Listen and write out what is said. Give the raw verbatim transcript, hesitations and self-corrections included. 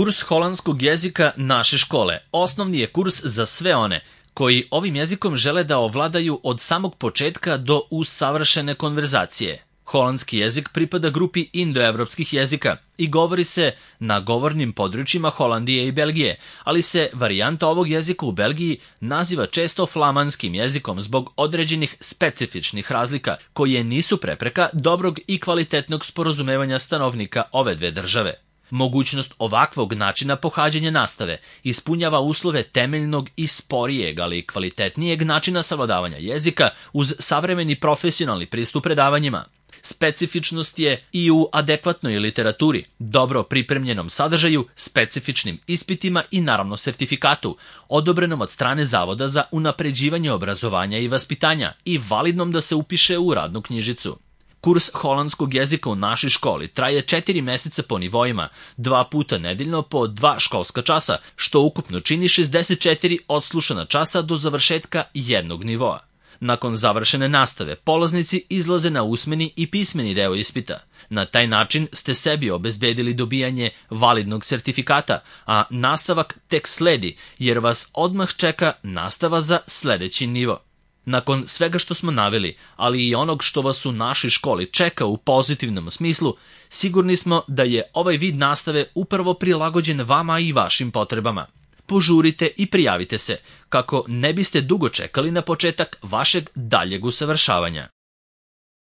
Kurs holandskog jezika naše škole osnovni je kurs za sve one koji ovim jezikom žele da ovladaju od samog početka do usavršene konverzacije. Holandski jezik pripada grupi indoevropskih jezika i govori se na govornim područjima Holandije i Belgije, ali se varijanta ovog jezika u Belgiji naziva često flamanskim jezikom zbog određenih specifičnih razlika koje nisu prepreka dobrog i kvalitetnog sporazumevanja stanovnika ove dve države. Mogućnost ovakvog načina pohađanja nastave ispunjava uslove temeljnog i sporijeg, ali kvalitetnijeg načina savladavanja jezika uz savremeni profesionalni pristup predavanjima. Specifičnost je i u adekvatnoj literaturi, dobro pripremljenom sadržaju, specifičnim ispitima i naravno sertifikatu, odobrenom od strane Zavoda za unapređivanje obrazovanja i vaspitanja i validnom da se upiše u radnu knjižicu. Kurs holandskog jezika u našoj školi traje četiri meseca po nivoima, dva puta nedeljno po dva školska časa, što ukupno čini šezdeset četiri odslušana časa do završetka jednog nivoa. Nakon završene nastave, polaznici izlaze na usmeni i pismeni deo ispita. Na taj način ste sebi obezbedili dobijanje validnog sertifikata, a nastavak tek sledi, jer vas odmah čeka nastava za sledeći nivo. Nakon svega što smo naveli, ali i onog što vas u našoj školi čeka u pozitivnom smislu, sigurni smo da je ovaj vid nastave upravo prilagođen vama i vašim potrebama. Požurite i prijavite se, kako ne biste dugo čekali na početak vašeg daljeg usavršavanja.